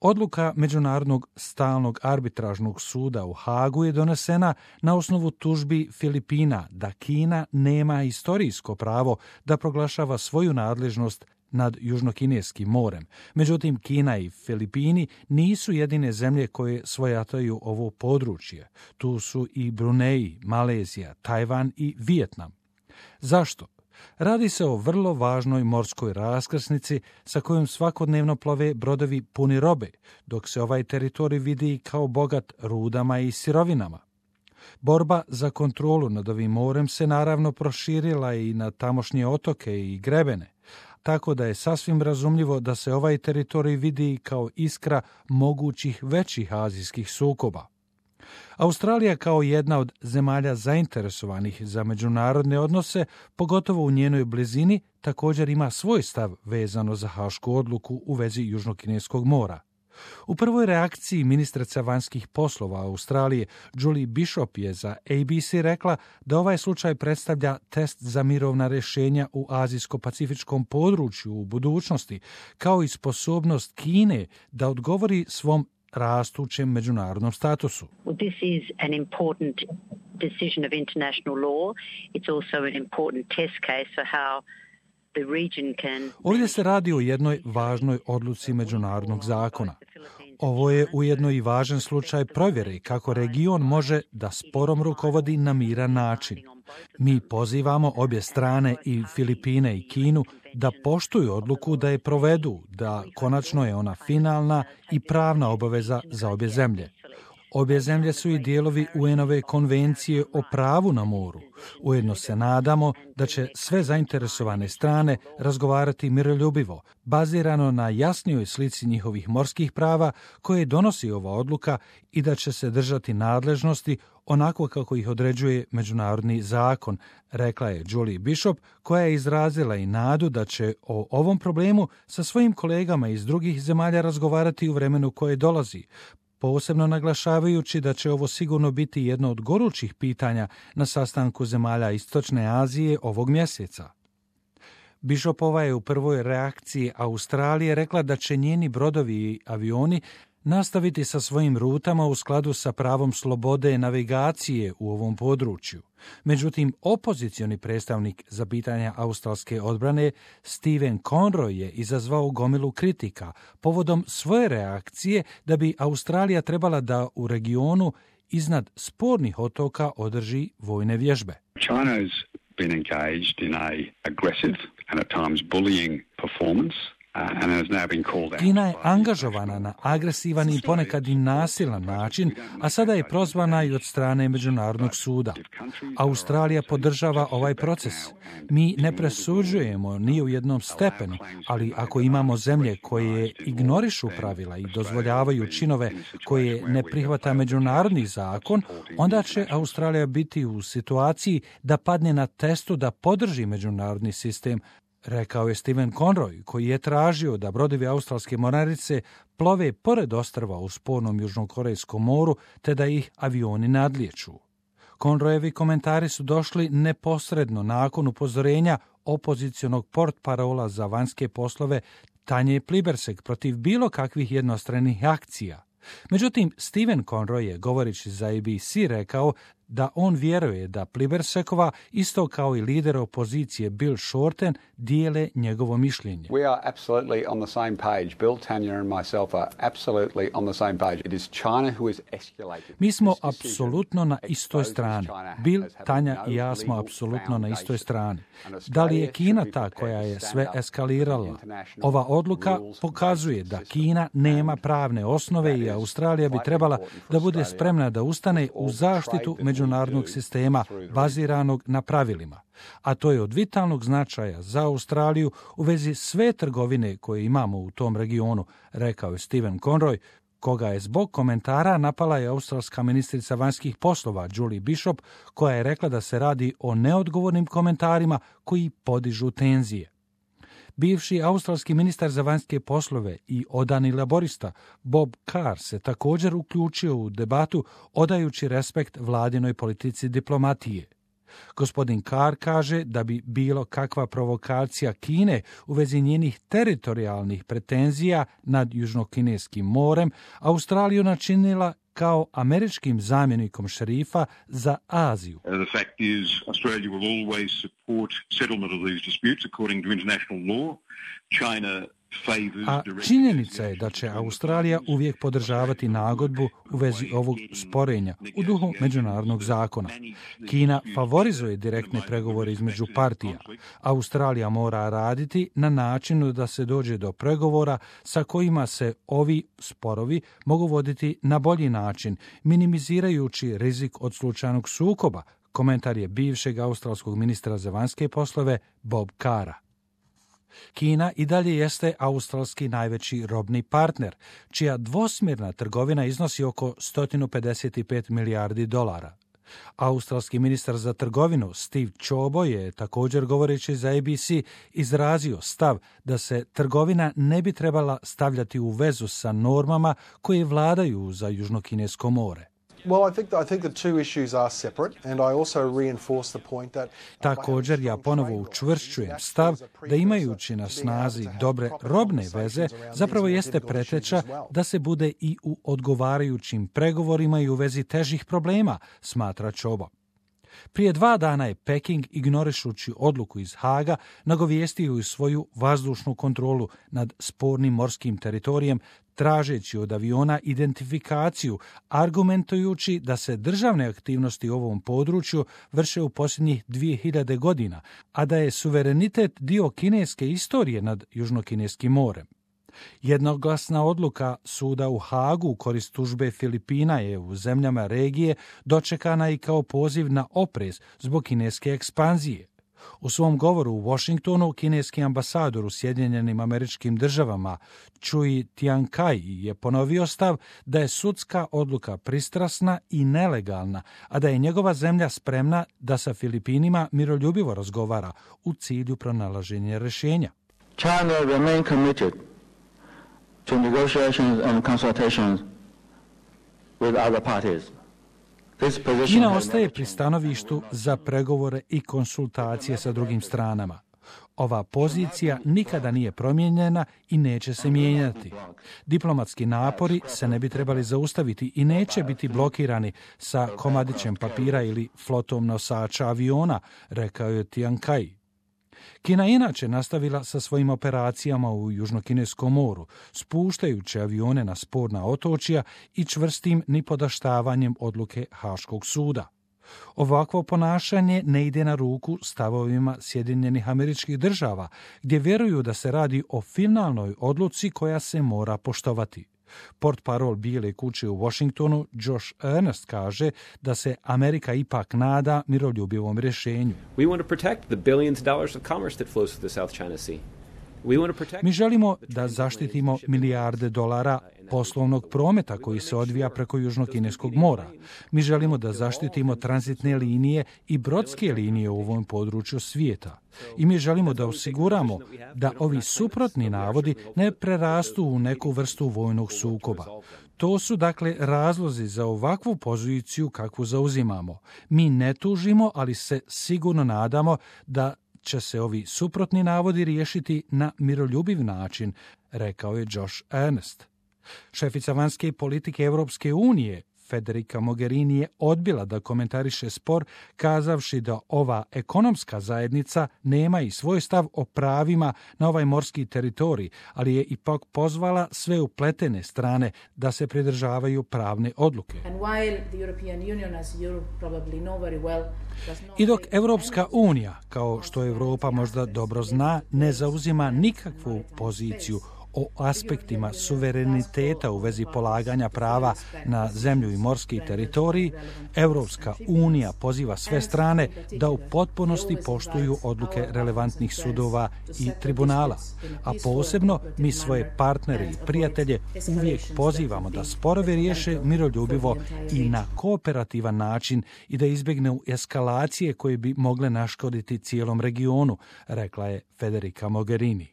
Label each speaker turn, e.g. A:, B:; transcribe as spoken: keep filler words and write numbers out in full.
A: Odluka Međunarodnog stalnog arbitražnog suda u Hagu je donesena na osnovu tužbi Filipina da Kina nema istorijsko pravo da proglašava svoju nadležnost nad Južnokineskim morem. Međutim, Kina i Filipini nisu jedine zemlje koje svojataju ovo područje. Tu su i Bruneji, Malezija, Tajvan i Vijetnam. Zašto? Radi se o vrlo važnoj morskoj raskrsnici sa kojom svakodnevno plove brodovi puni robe, dok se ovaj teritorij vidi kao bogat rudama i sirovinama. Borba za kontrolu nad ovim morem se naravno proširila i na tamošnje otoke i grebene, tako da je sasvim razumljivo da se ovaj teritorij vidi kao iskra mogućih većih azijskih sukoba. Australija kao jedna od zemalja zainteresovanih za međunarodne odnose, pogotovo u njenoj blizini, također ima svoj stav vezano za hašku odluku u vezi Južnokineskog mora. U prvoj reakciji ministrica vanjskih poslova Australije Julie Bishop je za A B C rekla da ovaj slučaj predstavlja test za mirovna rješenja u azijsko-pacifičkom području u budućnosti, kao i sposobnost Kine da odgovori svom rastućem međunarodnom statusu.
B: Well, this is an important decision of international law. It's also an important test case for how the region can...
A: Ovdje se radi o jednoj važnoj odluci međunarodnog zakona. Ovo je ujedno i važan slučaj provjere kako region može da sporom rukovodi na miran način. Mi pozivamo obje strane, i Filipine i Kinu, da poštuju odluku, da je provedu, da konačno je ona finalna i pravna obaveza za obje zemlje. Obje zemlje su i dijelovi U N-ove konvencije o pravu na moru. Ujedno se nadamo da će sve zainteresovane strane razgovarati miroljubivo, bazirano na jasnijoj slici njihovih morskih prava koje donosi ova odluka, i da će se držati nadležnosti onako kako ih određuje međunarodni zakon, rekla je Julie Bishop, koja je izrazila i nadu da će o ovom problemu sa svojim kolegama iz drugih zemalja razgovarati u vremenu koje dolazi, posebno naglašavajući da će ovo sigurno biti jedno od gorućih pitanja na sastanku zemalja Istočne Azije ovog mjeseca. Bishopova je u prvoj reakciji Australije rekla da će njeni brodovi i avioni nastaviti sa svojim rutama u skladu sa pravom slobode navigacije u ovom području. Međutim, opozicioni predstavnik za pitanja australske odbrane Stephen Conroy je izazvao gomilu kritika povodom svoje reakcije da bi Australija trebala da u regionu iznad spornih otoka održi vojne vježbe.
C: China's been engaged in a aggressive and at times bullying performance.
A: Kina je angažovana na agresivan i ponekad i nasilan način, a sada je prozvana i od strane Međunarodnog suda. Australija podržava ovaj proces. Mi ne presuđujemo ni u jednom stepenu, ali ako imamo zemlje koje ignorišu pravila i dozvoljavaju činove koje ne prihvata međunarodni zakon, onda će Australija biti u situaciji da padne na testu da podrži međunarodni sistem, rekao je Stephen Conroy, koji je tražio da brodovi australske mornarice plove pored ostrva u spornom Južnokorejskom moru, te da ih avioni nadlijeću. Conroyevi komentari su došli neposredno nakon upozorenja opozicionog portparola za vanjske poslove Tanje Plibersek protiv bilo kakvih jednostranih akcija. Međutim, Stephen Conroy je, govoreći za A B C, rekao da on vjeruje da Plibersekova, isto kao i lider opozicije Bill Shorten, dijele njegovo mišljenje.
D: We are absolutely on the same page. Bill, Tanya and myself are absolutely on the same page. It is China who has escalated.
A: Mi smo apsolutno na istoj strani. Bill, Tanja i ja smo apsolutno na istoj strani. Da li je Kina ta koja je sve eskalirala? Ova odluka pokazuje da Kina nema pravne osnove i Australija bi trebala da bude spremna da ustane u zaštitu međunarodnog sistema baziranog na pravilima. A to je od vitalnog značaja za Australiju u vezi sve trgovine koje imamo u tom regionu, rekao je Stephen Conroy, koga je zbog komentara napala je australska ministrica vanjskih poslova Julie Bishop, koja je rekla da se radi o neodgovornim komentarima koji podižu tenzije. Bivši australski ministar za vanjske poslove i odani laborista Bob Carr se također uključio u debatu odajući respekt vladinoj politici diplomatije. Gospodin Carr kaže da bi bilo kakva provokacija Kine u vezi njenih teritorijalnih pretenzija nad Južnokineskim morem Australiju načinila kao američkim zamjenikom šerifa za Aziju.
E: Uh, the fact is, Australia will always support settlement of these disputes according to international law. China
A: A činjenica je da će Australija uvijek podržavati nagodbu u vezi ovog sporenja u duhu međunarodnog zakona. Kina favorizuje direktne pregovore između partija. Australija mora raditi na načinu da se dođe do pregovora sa kojima se ovi sporovi mogu voditi na bolji način, minimizirajući rizik od slučajnog sukoba, komentar je bivšeg australskog ministra za vanjske poslove Bob Carra. Kina i dalje jeste australski najveći robni partner, čija dvosmjerna trgovina iznosi oko sto pedeset pet milijardi dolara. Australski ministar za trgovinu Steve Ciobo je također govoreći za A B C izrazio stav da se trgovina ne bi trebala stavljati u vezu sa normama koje vladaju za Južnokinesko more.
F: Well, I think I think the two issues are separate, and I also reinforce the point that
A: Također ja ponovo učvršćujem stav da imajući na snazi dobre robne veze zapravo jeste preteča da se bude i u odgovarajućim pregovorima i u vezi težih problema, smatra Ciobo. Prije dva dana je Peking, ignorišući odluku iz Haga, nagovijestio i svoju vazdušnu kontrolu nad spornim morskim teritorijem, tražeći od aviona identifikaciju, argumentujući da se državne aktivnosti u ovom području vrše u posljednjih dvije hiljade godina, a da je suverenitet dio kineske istorije nad Južnokineskim morem. Jednoglasna odluka suda u Hagu u korist tužbe Filipina je u zemljama regije dočekana i kao poziv na oprez zbog kineske ekspanzije. U svom govoru u Washingtonu kineski ambasador u Sjedinjenim Američkim Državama Cui Tiankai je ponovio stav da je sudska odluka pristrasna i nelegalna, a da je njegova zemlja spremna da sa Filipinima miroljubivo razgovara u cilju pronalaženja rješenja.
G: China remain committed to negotiations and consultations with other parties.
A: Kina ostaje pri stanovištu za pregovore i konsultacije sa drugim stranama. Ova pozicija nikada nije promijenjena i neće se mijenjati. Diplomatski napori se ne bi trebali zaustaviti i neće biti blokirani sa komadićem papira ili flotom nosača aviona, rekao je Tiankai. Kina inače nastavila sa svojim operacijama u Južnokineskom moru, spuštajući avione na sporna otočja i čvrstim nipodaštavanjem odluke Haškog suda. Ovakvo ponašanje ne ide na ruku stavovima Sjedinjenih Američkih Država, gdje vjeruju da se radi o finalnoj odluci koja se mora poštovati. Portparol Bijele kuće u Washingtonu Josh Earnest kaže da se Amerika ipak nada miroljubivom rješenju.
H: We want to protect the billions of dollars of commerce that flows through the South China Sea.
A: Mi želimo da zaštitimo milijarde dolara poslovnog prometa koji se odvija preko Južnokineskog mora. Mi želimo da zaštitimo tranzitne linije i brodske linije u ovom području svijeta. I mi želimo da osiguramo da ovi suprotni navodi ne prerastu u neku vrstu vojnog sukoba. To su dakle razlozi za ovakvu poziciju kakvu zauzimamo. Mi ne tužimo, ali se sigurno nadamo da će se ovi suprotni navodi riješiti na miroljubiv način, rekao je Josh Earnest. Šefica vanjske politike Europske unije, Federica Mogherini, je odbila da komentariše spor, kazavši da ova ekonomska zajednica nema i svoj stav o pravima na ovaj morski teritorij, ali je ipak pozvala sve upletene strane da se pridržavaju pravne odluke. I dok Europska unija, kao što Europa možda dobro zna, ne zauzima nikakvu poziciju o aspektima suvereniteta u vezi polaganja prava na zemlju i morski teritorij, Europska unija poziva sve strane da u potpunosti poštuju odluke relevantnih sudova i tribunala, a posebno mi svoje partnere i prijatelje uvijek pozivamo da sporove riješe miroljubivo i na kooperativan način i da izbjegnu eskalacije koje bi mogle naškoditi cijelom regionu, rekla je Federica Mogherini.